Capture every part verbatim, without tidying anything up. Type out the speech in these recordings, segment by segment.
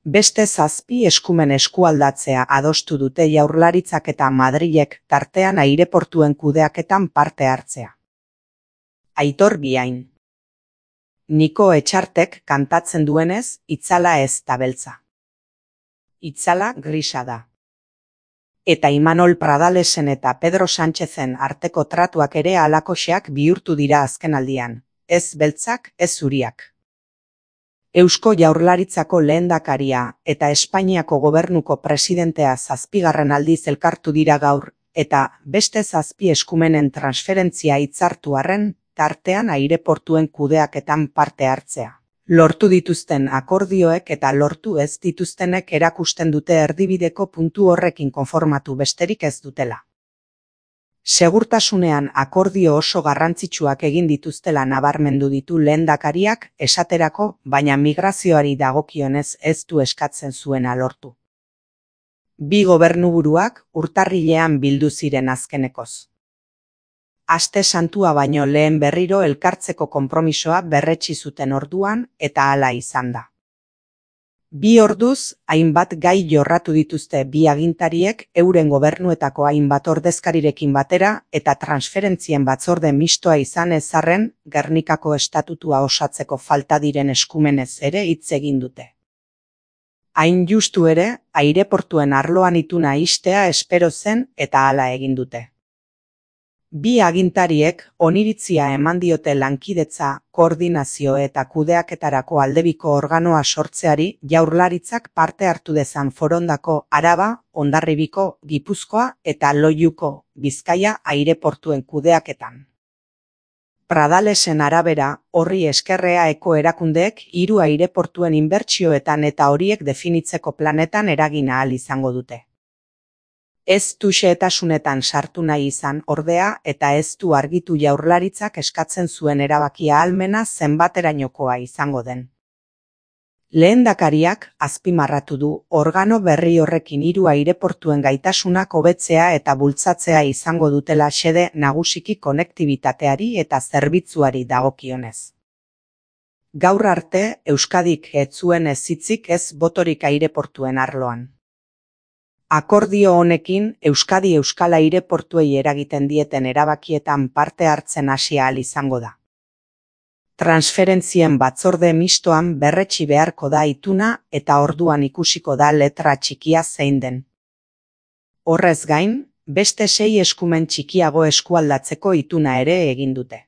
Beste zazpi eskumen eskualdatzea adostu dute Jaurlaritzak eta Madrilek, tartean aireportuen kudeaketan parte hartzea. Aitor Biain. Niko Etxartek kantatzen duenez, itzala ez da beltza. Itzala grisa da. Eta Imanol Pradalesen eta Pedro Sánchezen arteko tratuak ere halakoxeak bihurtu dira azkenaldian, ez beltzak, ez zuriak. Eusko Jaurlaritzako lehendakaria eta Espainiako gobernuko presidentea zazpigarren aldiz elkartu dira gaur, eta beste zazpi eskumenen transferentzia hitzartu arren, tartean aireportuen kudeaketan parte hartzea. Lortu dituzten akordioek eta lortu ez dituztenek erakusten dute erdibideko puntu horrekin konformatu besterik ez dutela. Segurtasunean akordio oso garrantzitsuak egin dituztela nabarmendu ditu lehendakariak, esaterako, baina migrazioari dagokionez ez du eskatzen zuena lortu. Bi gobernuburuak urtarrilean bildu ziren azkenekoz. Aste santua baino lehen berriro elkartzeko konpromisoa berretsi zuten orduan eta hala izan da. Bi orduz, hainbat gai jorratu dituzte bi agintariek euren gobernuetako hainbat ordezkarirekin batera eta transferentzien batzorde mistoa izan ez arren, Gernikako estatutua osatzeko falta diren eskumenez ere hitz egin dute. Hain justu ere, aireportuen arloan ituna ixtea espero zen eta hala egin dute. Bi agintariek oniritzia eman diote lankidetza, koordinazio eta kudeaketarako aldebiko organoa sortzeari Jaurlaritzak parte hartu dezan Forondako, Araba, Hondarribiko, Gipuzkoa eta Loiuko, Bizkaia aireportuen kudeaketan. Pradalesen arabera, horri eskerrea eko erakundeek hiru aireportuen inbertsioetan eta horiek definitzeko planetan eragina ahal izango dute. Ez du xehetasunetan sartu nahi izan ordea eta ez du argitu Jaurlaritzak eskatzen zuen erabakia ahalmena zenbaterainokoa izango den. Lehendakariak azpimarratu du organo berri horrekin hiru aireportuen gaitasunak hobetzea eta bultzatzea izango dutela xede nagusiki konektibitateari eta zerbitzuari dagokionez. Gaur arte Euskadik ez zuen ez hitzik ez botorik aireportuen arloan. Akordio honekin Euskadi euskal aireportuei eragiten dieten erabakietan parte hartzen hasi ahal izango da. Transferentzien batzorde mistoan berretsi beharko da ituna eta orduan ikusiko da letra txikia zein den. Horrez gain, beste sei eskumen txikiago eskualdatzeko ituna ere egin dute.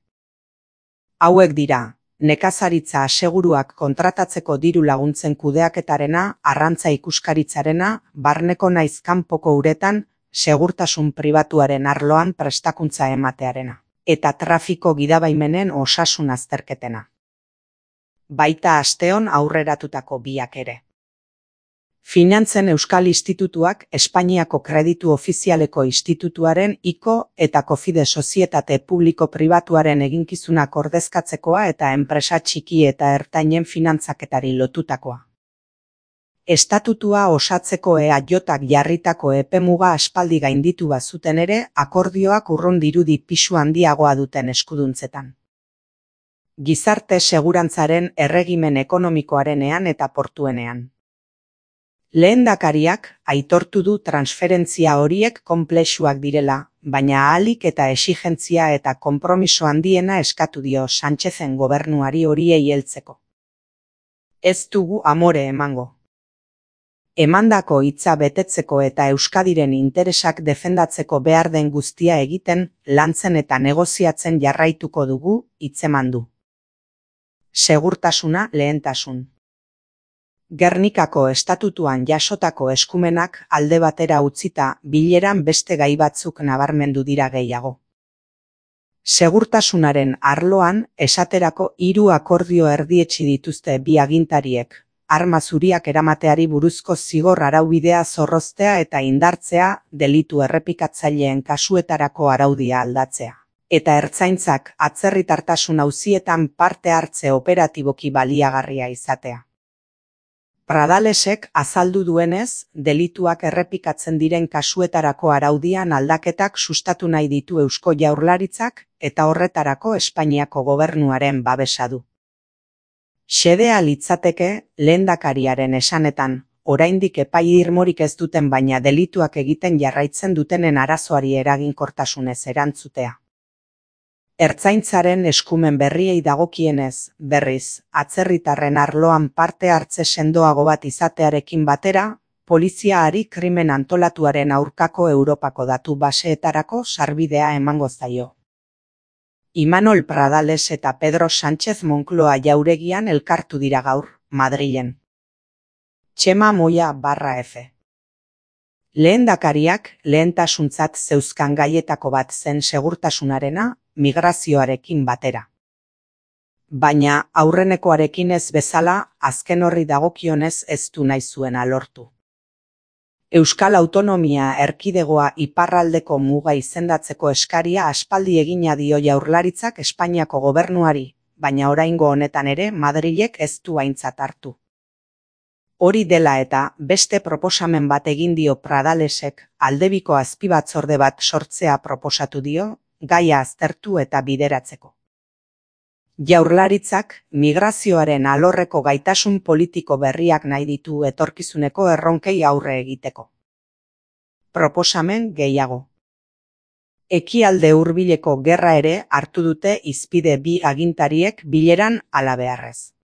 Hauek dira, nekazaritza aseguruak kontratatzeko diru laguntzen kudeaketarena, arrantza ikuskaritzarena, barneko naiz kanpoko uretan, segurtasun pribatuaren arloan prestakuntza ematearena, eta trafiko gidabaimenen osasun azterketena. Baita asteon aurreratutako biak ere. Finantzen Euskal Institutuak Espainiako Kreditu Ofizialeko Institutuaren I C O eta Cofide Sozietate Publiko-Pribatuaren eginkizunak ordezkatzekoa eta enpresa txiki eta ertainen finantzaketari lotutakoa. Estatutua osatzeko E A J-ak jarritako epemuga aspaldi gainditu bazuten ere, akordioak urrun dirudi pisu handiagoa duten eskuduntzetan. Gizarte segurantzaren erregimen ekonomikoarenean eta portuenean. Lehendakariak aitortu du transferentzia horiek konplexuak direla, baina ahalik eta exigentzia eta konpromiso handiena eskatu dio Sánchezen gobernuari horiei heltzeko. Ez dugu amore emango. Emandako hitza betetzeko eta Euskadiren interesak defendatzeko behar den guztia egiten, lantzen eta negoziatzen jarraituko dugu, hitzeman du. Segurtasuna lehentasun. Gernikako estatutuan jasotako eskumenak alde batera utzita bileran beste gai batzuk nabarmendu dira gehiago. Segurtasunaren arloan esaterako hiru akordio erdietsi dituzte bi agintariek, arma zuriak eramateari buruzko zigor araubidea zorroztea eta indartzea, delitu errepikatzaileen kasuetarako araudia aldatzea, eta ertzaintzak atzerritartasun auzietan parte hartze operatiboki baliagarria izatea. Pradalesek azaldu duenez, delituak errepikatzen diren kasuetarako araudian aldaketak sustatu nahi ditu Eusko Jaurlaritzak eta horretarako Espainiako gobernuaren babesa du. Xedea litzateke, lehendakariaren esanetan, oraindik epai irmorik ez duten baina delituak egiten jarraitzen dutenen arazoari eraginkortasunez erantzutea. Ertzaintzaren eskumen berriei dagokienez, berriz, atzerritarren arloan parte hartze sendoago bat izatearekin batera, poliziaari krimen antolatuaren aurkako Europako datu baseetarako sarbidea emango zaio. Imanol Pradales eta Pedro Sánchez Moncloa jauregian elkartu dira gaur, Madrilen. Txema Moya barra F. Lehendakariak lehentasuntzat zeuzkan gaietako bat zen segurtasunarena, migrazioarekin batera. Baina aurrenekoarekin ez bezala, azken horri dagokionez ez du nahi zuena lortu. Euskal Autonomia Erkidegoa iparraldeko muga izendatzeko eskaria aspaldi egina dio Jaurlaritzak Espainiako gobernuari, baina oraingo honetan ere Madrilek ez du aintzat hartu. Hori dela eta beste proposamen bat egin dio Pradalesek aldebiko azpibatzorde bat sortzea proposatu dio, gaia aztertu eta bideratzeko. Jaurlaritzak migrazioaren alorreko gaitasun politiko berriak nahi ditu etorkizuneko erronkei aurre egiteko. Proposamen gehiago. Ekialde hurbileko gerra ere hartu dute hizpide bi agintariek bileran halabeharrez.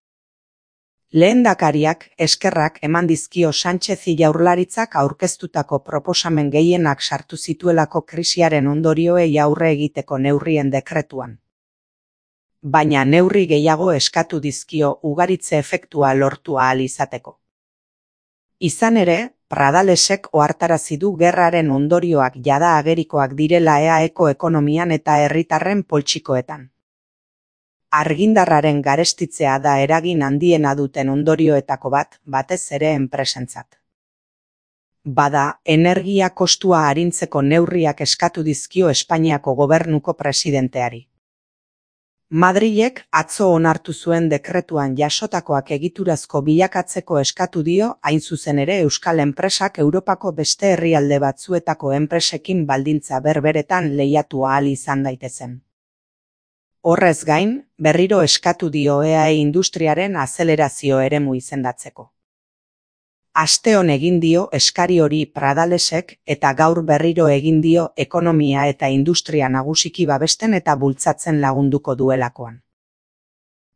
Lehendakariak eskerrak eman dizkio Sánchezi Jaurlaritzak aurkeztutako proposamen gehienak sartu zituelako krisiaren ondorioei aurre egiteko neurrien dekretuan. Baina neurri gehiago eskatu dizkio ugaritze efektua lortu ahal izateko. Izan ere, Pradalesek ohartarazi du gerraren ondorioak jada agerikoak direla E A Eko ekonomian eta herritarren poltsikoetan. Argindarraren garestitzea da eragin handiena duten ondorioetako bat, batez ere enpresentzat. Bada, energia kostua arintzeko neurriak eskatu dizkio Espainiako gobernuko presidenteari. Madrilek atzo onartu zuen dekretuan jasotakoak egiturazko bilakatzeko eskatu dio, hain zuzen ere euskal enpresak Europako beste herrialde batzuetako enpresekin baldintza berberetan lehiatu ahal izan daitezen. Horrez gain, berriro eskatu dio E A E industriaren azelerazio eremu izendatzeko. Asteon egin dio eskari hori Pradalesek eta gaur berriro egin dio ekonomia eta industria nagusiki babesten eta bultzatzen lagunduko duelakoan.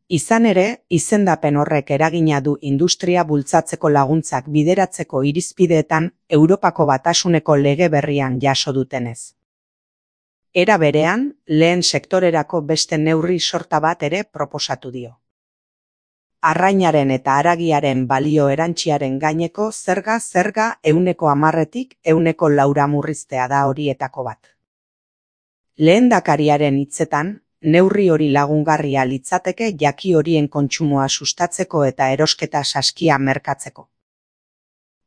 Izan ere, izendapen horrek eragina du industria bultzatzeko laguntzak bideratzeko irizpideetan Europako Batasuneko lege berrian jaso dutenez. Era berean, lehen sektorerako beste neurri sorta bat ere proposatu dio. Arrainaren eta haragiaren balio erantziaren gaineko zerga zerga ehuneko hamarretik ehuneko laura murriztea da horietako bat. Lehendakariaren hitzetan, neurri hori lagungarria litzateke jaki horien kontsumoa sustatzeko eta erosketa saskia merkatzeko.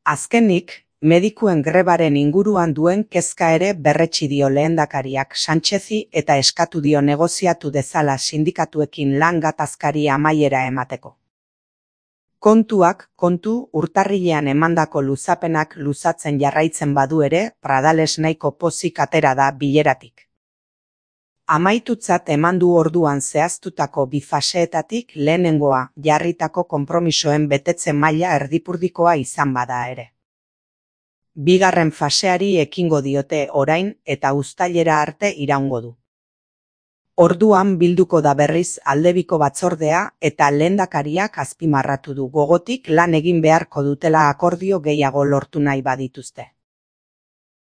Azkenik, medikuen grebaren inguruan duen kezka ere berretsi dio lehendakariak Sánchezi eta eskatu dio negoziatu dezala sindikatuekin lan gatazkari amaiera emateko. Kontuak, kontu, urtarrilean emandako luzapenak luzatzen jarraitzen badu ere, Pradales nahiko pozik atera da bileratik. Amaitutzat emandu orduan zehaztutako bi faseetatik lehenengoa jarritako konpromisoen betetze maila erdipurdikoa izan bada ere. Bigarren faseari ekingo diote orain eta uztailera arte iraungo du. Orduan bilduko da berriz aldebiko batzordea eta lehendakariak azpimarratu du gogotik lan egin beharko dutela akordio gehiago lortu nahi badituzte.